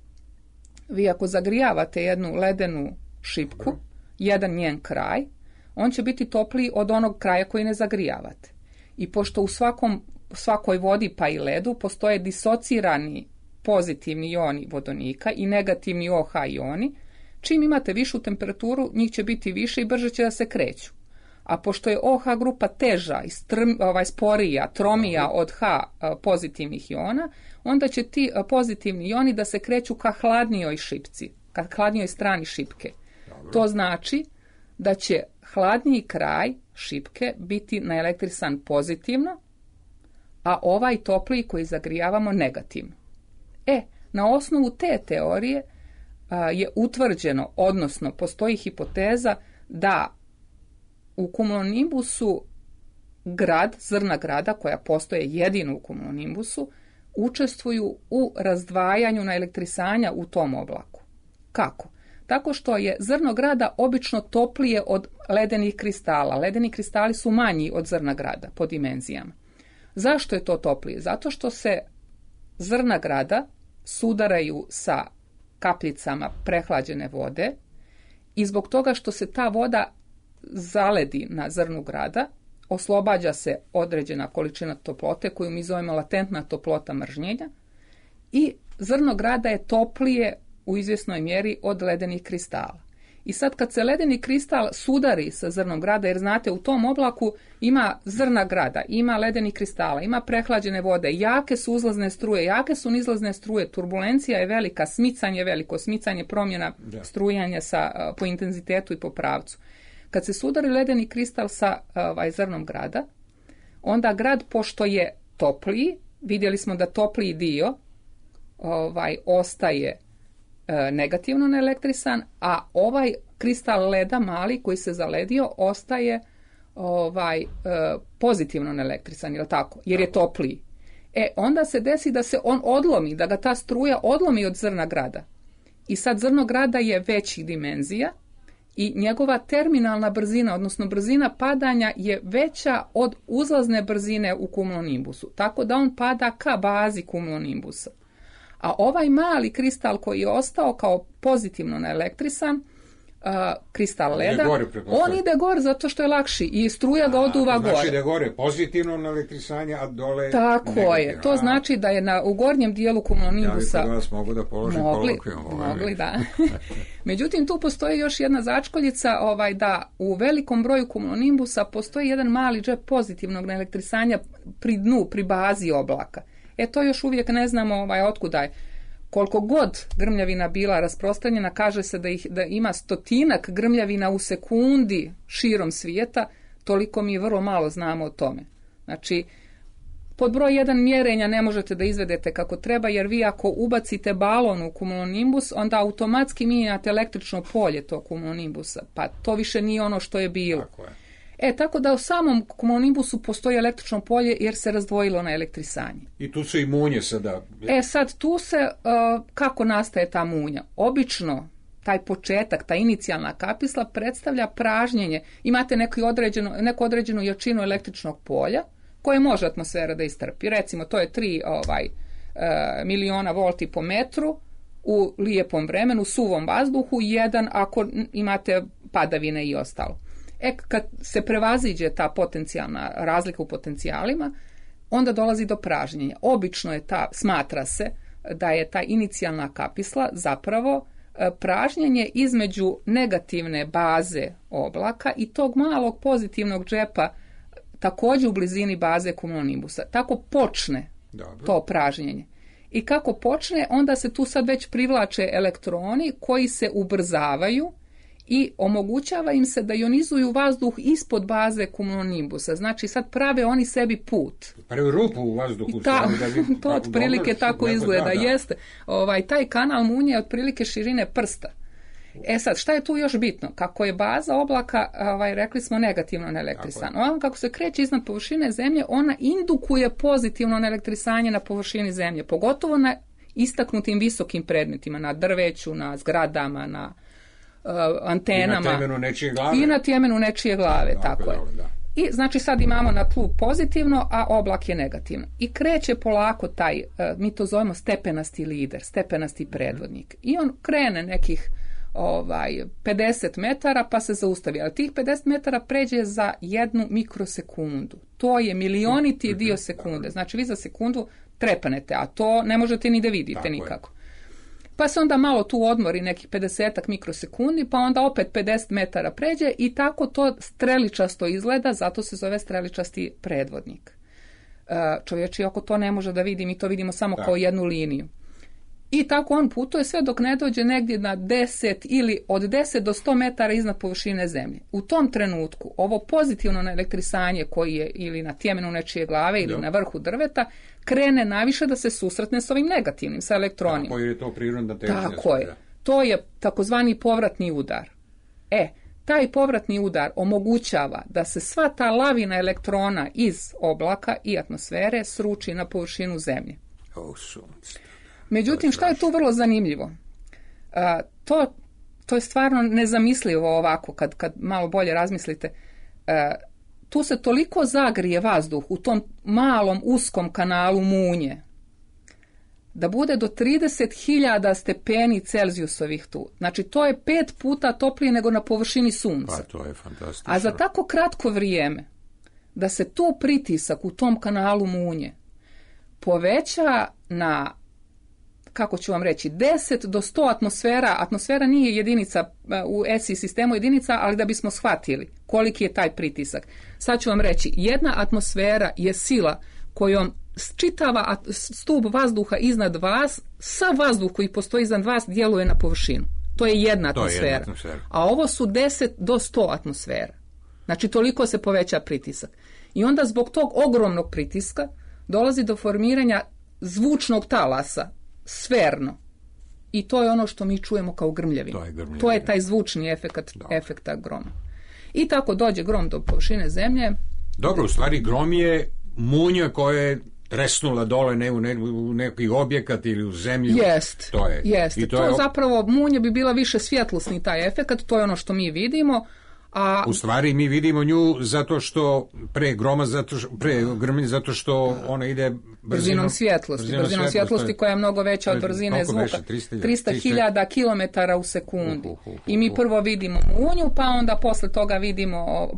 Vi ako zagrijavate jednu ledenu šipku, jedan njen kraj, on će biti topliji od onog kraja koji ne zagrijavate. I pošto u svakoj vodi pa i ledu postoje disocirani pozitivni ioni vodonika i negativni OH ioni, čim imate višu temperaturu, njih će biti više i brže će da se kreću. A pošto je OH grupa teža i sporija, tromija od H pozitivnih iona, onda će ti pozitivni ioni da se kreću ka hladnijoj šipci, ka hladnijoj strani šipke. Dobro. To znači da će hladniji kraj šipke biti naelektrisan pozitivno, a ovaj topliji koji zagrijavamo negativno. Na osnovu te teorije je utvrđeno, odnosno postoji hipoteza da u kumulonimbusu zrna grada, koja postoje jedino u kumulonimbusu, učestvuju u razdvajanju naelektrisanja u tom oblaku. Kako? Tako što je zrno grada obično toplije od ledenih kristala. Ledeni kristali su manji od zrna grada po dimenzijama. Zašto je to toplije? Zato što se zrna grada sudaraju sa kapljicama prehlađene vode i zbog toga što se ta voda zaledi na zrnu grada, oslobađa se određena količina toplote koju mi zovemo latentna toplota mržnjenja i zrno grada je toplije u izvjesnoj mjeri od ledenih kristala. I sad kad se ledeni kristal sudari sa zrnom grada, jer znate u tom oblaku ima zrna grada, ima ledenih kristala, ima prehlađene vode, jake su uzlazne struje, jake su nizlazne struje, turbulencija je velika, smicanje je veliko, smicanje promjena strujanja po intenzitetu i po pravcu. Kad se sudari ledeni kristal sa zrnom grada, onda grad, pošto je topliji, vidjeli smo da topliji dio ostaje negativno naelektrisan, a ovaj kristal leda mali koji se zaledio ostaje pozitivno naelektrisan, je li tako? Jer je topliji. Onda se desi da se on odlomi, da ga ta struja odlomi od zrna grada. I sad zrno grada je većih dimenzija i njegova terminalna brzina, odnosno brzina padanja je veća od uzlazne brzine u kumulonimbusu. Tako da on pada ka bazi kumulonimbusa. A ovaj mali kristal koji je ostao kao pozitivno naelektrisan, kristal leda, on ide gore zato što je lakši i struja ga oduva gore. Znači da je gore pozitivno naelektrisanje, a dole tako negativno. Je. To znači da je u gornjem dijelu kumulonimbusa... Ja bih vas mogu da položim kolokvijom. Mogli, da. Međutim, tu postoji još jedna začkoljica da u velikom broju kumulonimbusa postoji jedan mali džep pozitivnog naelektrisanja pri dnu, pri bazi oblaka. To još uvijek ne znamo otkuda je. Koliko god grmljavina bila rasprostranjena, kaže se da ima 100 grmljavina u sekundi širom svijeta, toliko mi vrlo malo znamo o tome. Znači, pod broj 1 mjerenja ne možete da izvedete kako treba, jer vi ako ubacite balon u kumulonimbus, onda automatski mijenjate električno polje tog kumulonimbusa, pa to više nije ono što je bilo. Tako je. Tako da u samom kumulonimbusu postoji električno polje jer se razdvojilo na elektrisanje. I tu se i munje sada. Sad tu se, kako nastaje ta munja? Obično taj početak, ta inicijalna kapisla predstavlja pražnjenje. Imate neku određenu jačinu električnog polja koje može atmosfera da istrpi. Recimo to je 3 miliona volti po metru u lijepom vremenu, suvom vazduhu, 1 ako imate padavine i ostalo. Kad se prevaziđe ta potencijalna razlika u potencijalima, onda dolazi do pražnjenja. Obično je smatra se da je ta inicijalna kapisla zapravo pražnjenje između negativne baze oblaka i tog malog pozitivnog džepa također u blizini baze kumulonimbusa. Tako počne to pražnjenje. I kako počne, onda se tu sad već privlače elektroni koji se ubrzavaju i omogućava im se da ionizuju vazduh ispod baze kumulonimbusa. Znači sad prave oni sebi put. Prave rupu u vazduhu. To otprilike tako izgleda. Jeste. Taj kanal munje je otprilike širine prsta. Sad, šta je tu još bitno? Kako je baza oblaka, rekli smo, negativno naelektrisana. Kako se kreće iznad površine zemlje, ona indukuje pozitivno naelektrisanje na površini zemlje. Pogotovo na istaknutim visokim predmetima, na drveću, na zgradama, na antenama i na tjemenu nečije glave, tako je. I znači sad imamo na tlu pozitivno, a oblak je negativno. I kreće polako taj, mi to zovemo stepenasti lider, stepenasti predvodnik. I on krene nekih 50 metara pa se zaustavi. Ali tih 50 metara pređe za 1 mikrosekundu. To je milioniti dio sekunde. Znači vi za sekundu trepanete, a to ne možete ni da vidite nikako. Pa se onda malo tu odmori nekih 50 mikrosekundi, pa onda opet 50 metara pređe i tako to streličasto izgleda, zato se zove streličasti predvodnik. Čovječi oko to ne može da vidi, mi to vidimo samo kao jednu liniju. I tako on putuje sve dok ne dođe negdje na 10 ili od 10 do 100 metara iznad površine zemlje. U tom trenutku ovo pozitivno naelektrisanje koji je ili na tjemenu nečije glave ili na vrhu drveta krene najviše da se susretne s ovim negativnim, sa elektronima. Tako je to prirodna težnja. Tako je. To je takozvani povratni udar. Taj povratni udar omogućava da se sva ta lavina elektrona iz oblaka i atmosfere sruči na površinu zemlje. Međutim, šta je tu vrlo zanimljivo? to je stvarno nezamislivo ovako, kad malo bolje razmislite. Tu se toliko zagrije vazduh u tom malom uskom kanalu munje, da bude do 30.000 stepeni Celzijusovih tu. Znači, to je 5 puta toplije nego na površini sunca. Pa to je fantastično. A za tako kratko vrijeme, da se tu pritisak u tom kanalu munje poveća na, kako ću vam reći, 10 do 100 atmosfera. Atmosfera nije jedinica u ESI sistemu jedinica, ali da bismo shvatili koliki je taj pritisak. Sad ću vam reći, jedna atmosfera je sila kojom čitava stup vazduha iznad vas, sav vazduh koji postoji iznad vas djeluje na površinu. To je jedna atmosfera. A ovo su 10 do 100 atmosfera. Znači, toliko se poveća pritisak. I onda zbog tog ogromnog pritiska dolazi do formiranja zvučnog talasa, sferno. I to je ono što mi čujemo kao grmljavinu. To je taj zvučni efekta groma. I tako dođe grom do površine zemlje. Dobro, u stvari grom je munja koja je tresnula dole u neki objekat ili u zemlju. Jest. To zapravo munja bi bila više svjetlosni taj efekat, to je ono što mi vidimo. A u stvari mi vidimo nju zato što pre grmlje, zato što ona ide brzinom svjetlosti koja je mnogo veća od brzine zvuka. 300.000 km u sekundi. I mi prvo vidimo munju, pa onda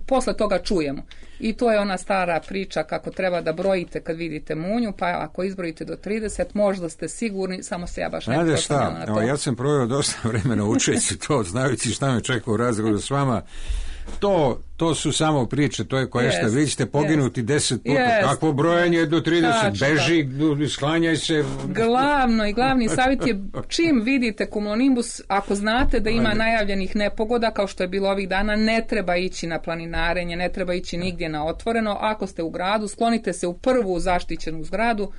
posle toga čujemo. I to je ona stara priča kako treba da brojite kad vidite munju, pa ako izbrojite do 30, možda ste sigurni, samo se ja baš ne proslanjala na to. Ja sam proveo dosta vremena učeći to, znajući šta me čeka u razgovoru s vama. To su samo priče, to je koja vi ćete poginuti 10 puta. Kakvo brojanje do 30? Beži, sklanjaj se. Glavni savjet je čim vidite cumulonimbus, ako znate da ima najavljenih nepogoda, kao što je bilo ovih dana, ne treba ići na planinarenje, ne treba ići nigdje na otvoreno. Ako ste u gradu, sklonite se u prvu zaštićenu zgradu.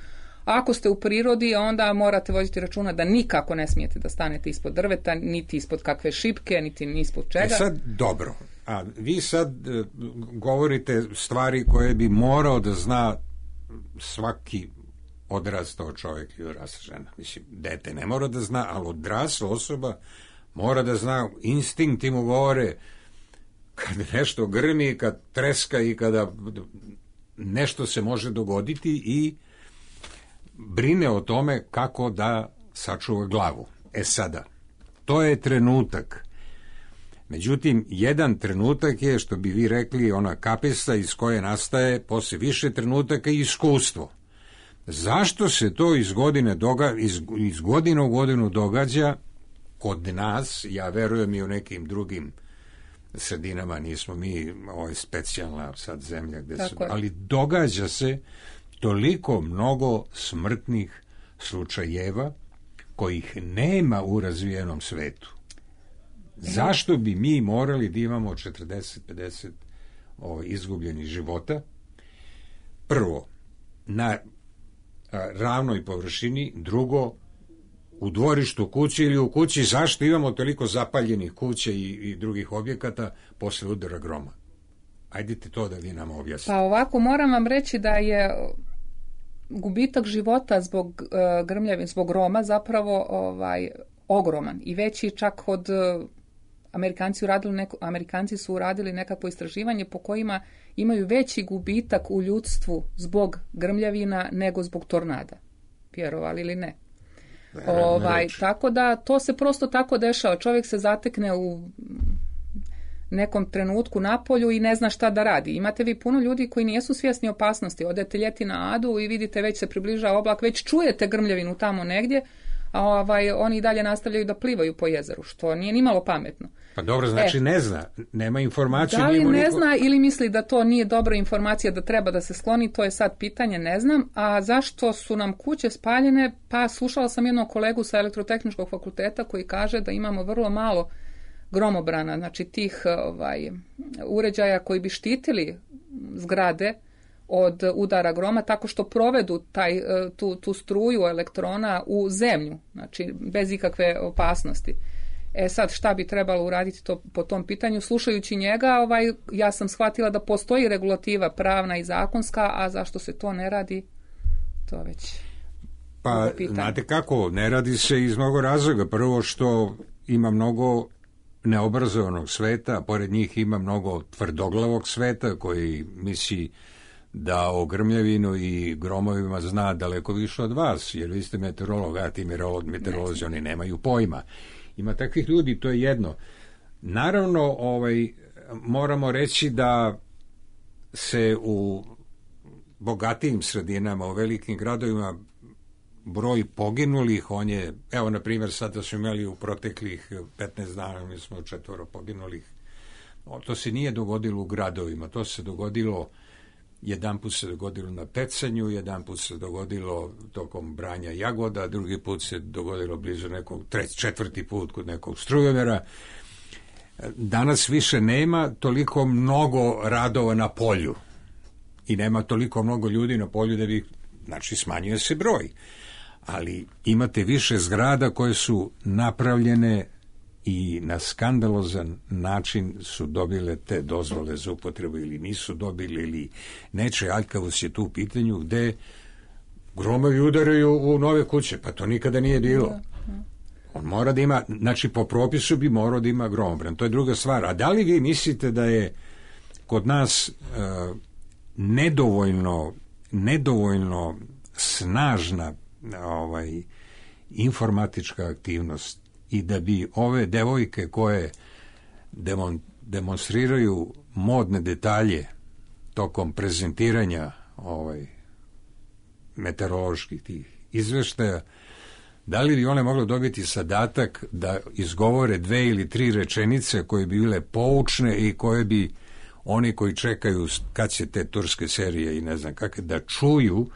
Ako ste u prirodi, onda morate voditi računa da nikako ne smijete da stanete ispod drveta, niti ispod kakve šipke, niti ispod čega. Sad, dobro. A vi sad govorite stvari koje bi morao da zna svaki odrastao čovjek i odrasla žena. Mislim, dete ne mora da zna, ali odrasla osoba mora da zna, instinkti mu govore kad nešto grmi, kad treska i kada nešto se može dogoditi i brine o tome kako da sačuva glavu. Sada, to je trenutak. Međutim, jedan trenutak je, što bi vi rekli, ona kapesa iz koje nastaje posle više trenutaka i iskustvo. Zašto se to iz godine u godinu događa kod nas? Ja verujem i u nekim drugim sredinama, nismo mi specijalna sad zemlja gde su, ali događa se toliko mnogo smrtnih slučajeva kojih nema u razvijenom svetu. Zašto bi mi morali da imamo 40-50 izgubljenih života? Prvo, na ravnoj površini, drugo, u dvorištu kuće ili u kući. Zašto imamo toliko zapaljenih kuća i drugih objekata posle udara groma? Ajdite to da vi nam objasnite. Pa ovako, moram vam reći da je gubitak života zbog grmljavine, zbog groma zapravo ogroman i veći čak od Amerikanci su uradili nekakvo istraživanje po kojima imaju veći gubitak u ljudstvu zbog grmljavina nego zbog tornada. Vjerovali ili ne? Tako da to se prosto tako dešava. Čovjek se zatekne u nekom trenutku na polju i ne zna šta da radi. Imate vi puno ljudi koji nisu svjesni opasnosti. Odete ljeti na Adu i vidite već se približava oblak, već čujete grmljavinu tamo negdje, a oni i dalje nastavljaju da plivaju po jezeru, što nije nimalo pametno. Pa dobro, znači ne zna, nema informaciju. Da li ne zna ili misli da to nije dobra informacija, da treba da se skloni, to je sad pitanje, ne znam. A zašto su nam kuće spaljene? Pa slušala sam jednog kolegu sa Elektrotehničkog fakulteta koji kaže da imamo vrlo malo gromobrana, znači tih uređaja koji bi štitili zgrade od udara groma tako što provedu tu struju elektrona u zemlju, znači bez ikakve opasnosti. Sad šta bi trebalo uraditi po tom pitanju? Slušajući njega, ja sam shvatila da postoji regulativa pravna i zakonska, a zašto se to ne radi, to već pa znate kako, ne radi se iz mnogo razloga. Prvo što ima mnogo neobrazovanog sveta, a pored njih ima mnogo tvrdoglavog sveta koji misli da o grmljavinu i gromovima zna daleko više od vas, jer vi ste meteorolog, a ti meteorolozi, oni nemaju pojma. Ima takvih ljudi, to je jedno. Naravno, moramo reći da se u bogatijim sredinama, u velikim gradovima, broj poginulih, on je, evo, na primjer, sada smo imali u proteklih 15 dana, mi smo 4 poginulih. To se nije dogodilo u gradovima, to se dogodilo, jedan put se dogodilo na pecanju, jedan put se dogodilo tokom branja jagoda, drugi put se dogodilo blizu nekog, četvrti put kod nekog strujomera. Danas više nema toliko mnogo radova na polju i nema toliko mnogo ljudi na polju da bi, znači, smanjuje se broj. Ali imate više zgrada koje su napravljene i na skandalozan način su dobile te dozvole za upotrebu ili nisu dobili ili neče. Aljkavost je tu u pitanju gde gromovi udaraju u nove kuće, pa to nikada nije bilo. On mora da ima, znači po propisu bi morao da ima gromobran, to je druga stvar. A da li vi mislite da je kod nas nedovoljno snažna informatička aktivnost i da bi ove devojke koje demonstriraju modne detalje tokom prezentiranja meteoroloških tih izveštaja, da li bi one mogle dobiti zadatak da izgovore 2 ili 3 rečenice koje bi bile poučne i koje bi oni koji čekaju kad će te turske serije i ne znam kakve da čuju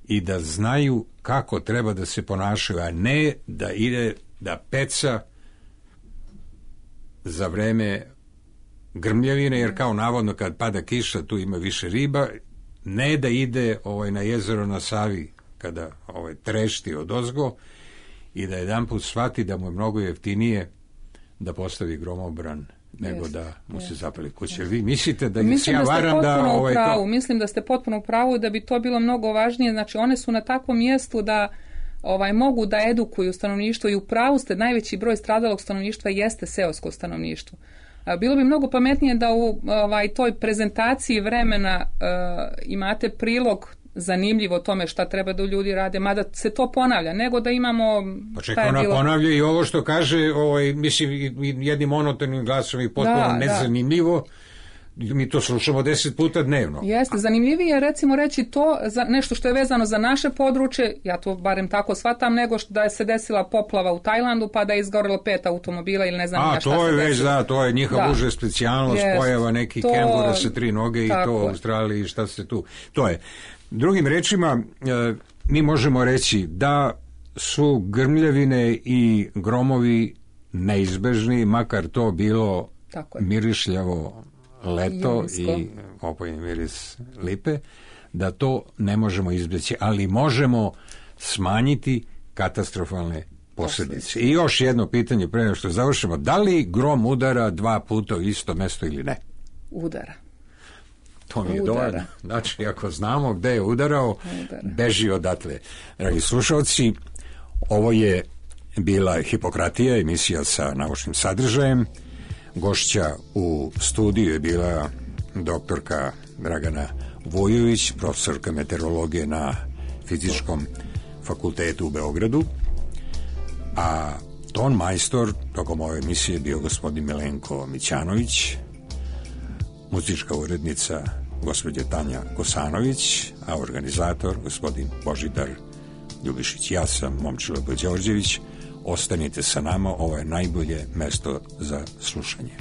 i da znaju kako treba da se ponašaju, a ne da ide da peca za vreme grmljavine, jer kao navodno kad pada kiša tu ima više riba, ne da ide na jezero na Savi kada trešti odozgo i da jedanput shvati da mu je mnogo jeftinije da postavi gromobran nego da mu se zapali kuće. Vi mislite da ja varam da... Mislim da ste potpuno u pravu da bi to bilo mnogo važnije. Znači, one su na takvom mjestu da mogu da edukuju stanovništvo i u pravu ste, najveći broj stradalog stanovništva jeste seosko stanovništvo. Bilo bi mnogo pametnije da u toj prezentaciji vremena imate prilog zanimljivo tome šta treba da ljudi rade, mada se to ponavlja, nego da imamo... Pa čekaj, ona ponavlja i ovo što kaže, mislim, jednim monotonim glasom i potpuno nezanimljivo, mi to slušamo 10 puta dnevno. Jeste, zanimljivije je recimo reći to za nešto što je vezano za naše područje, ja to barem tako shvatam, nego da je se desila poplava u Tajlandu pa da je izgorelo 5 automobila ili ne znam šta se desilo. To je već, to je njihova uža specijalnost, pojava neki kengura sa 3 noge i to u Australiji i šta se tu... To je. Drugim rečima, mi možemo reći da su grmljavine i gromovi neizbežni, makar to bilo mirišljavo leto i opojni miris lipe, da to ne možemo izbjeći, ali možemo smanjiti katastrofalne posljedice. I još jedno pitanje pre nego što završimo, da li grom udara 2 puta u isto mesto ili ne? Udara. To mi je dovoljno. Znači, ako znamo gde je udarao, beži odatle. Dragi slušalci, ovo je bila Hipokratija, emisija sa naučnim sadržajem. Gošća u studiju je bila doktorka Dragana Vujović, profesorka meteorologije na Fizičkom fakultetu u Beogradu, a ton majstor tokom ove emisije bio gospodin Milenko Mićanović, muzička urednica gospođa Tanja Kosanović, a organizator gospodin Božidar Ljubišić. Ja sam Momčilo Đorđević. Ostanite sa nama, ovo je najbolje mesto za slušanje.